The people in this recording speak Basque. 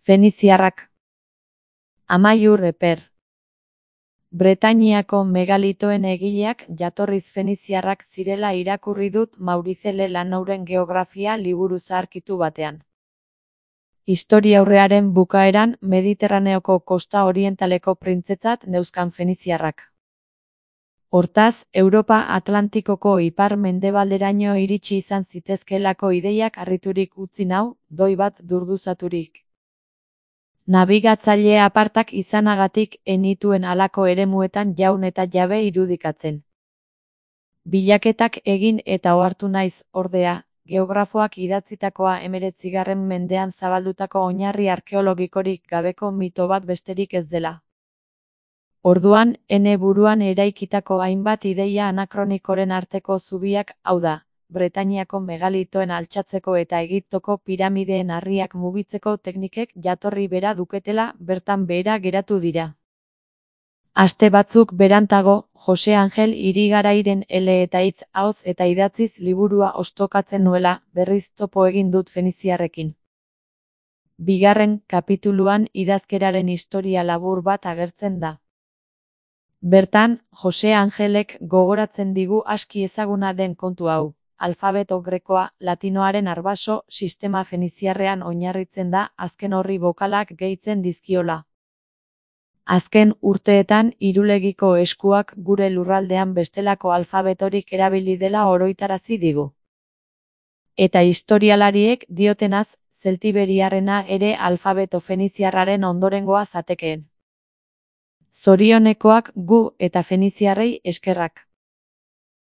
Feniziarrak. Amaiur Eper. Bretainiako megalitoen egileak jatorriz feniziarrak zirela irakurri dut Maurice Lelanouren geografia liburu zaharkitu batean. Historiaurrearen bukaeran Mediterraneoko kosta orientaleko printzetzat neuzkan feniziarrak. Hortaz, Europa Atlantikoko ipar-mendebalderaino iritsi izan zitezkeelako ideiak harriturik utzi nau, doi bat durduzaturik. Nabigatzaile apartak izanagatik enituen halako eremuetan jaun eta jabe irudikatzen. Bilaketak egin eta ohartu naiz, ordea, geografoak idatzitakoa 19. mendean zabaldutako oinarri arkeologikorik gabeko mito bat besterik ez dela. Orduan, ene buruan eraikitako hainbat ideia anakronikoren arteko zubiak, hau da, Bretainiako megalitoen altxatzeko eta Egiptoko piramideen harriak mugitzeko teknikek jatorri bera duketela bertan behera geratu dira. Aste batzuk berantago, Jose Angel Irigarairen ele eta hitz ahots eta idatziz liburua ostokatzen nuela, berriz topo egin dut feniziarrekin. Bigarren kapituluan idazkeraren historia labur bat agertzen da. Bertan, Jose Angelek gogoratzen digu aski ezaguna den kontu hau. Alfabeto grekoa, latinoaren arbaso, sistema feniziarrean oinarritzen da, azken horri bokalak gehitzen dizkiola. Azken urteetan Irulegiko eskuak gure lurraldean bestelako alfabetorik erabili dela oroitarazi digu. Eta historialariek diotenaz, zeltiberiarrena ere alfabeto feniziarraren ondorengoa zatekeen. Zorionekoak gu eta feniziarrei eskerrak.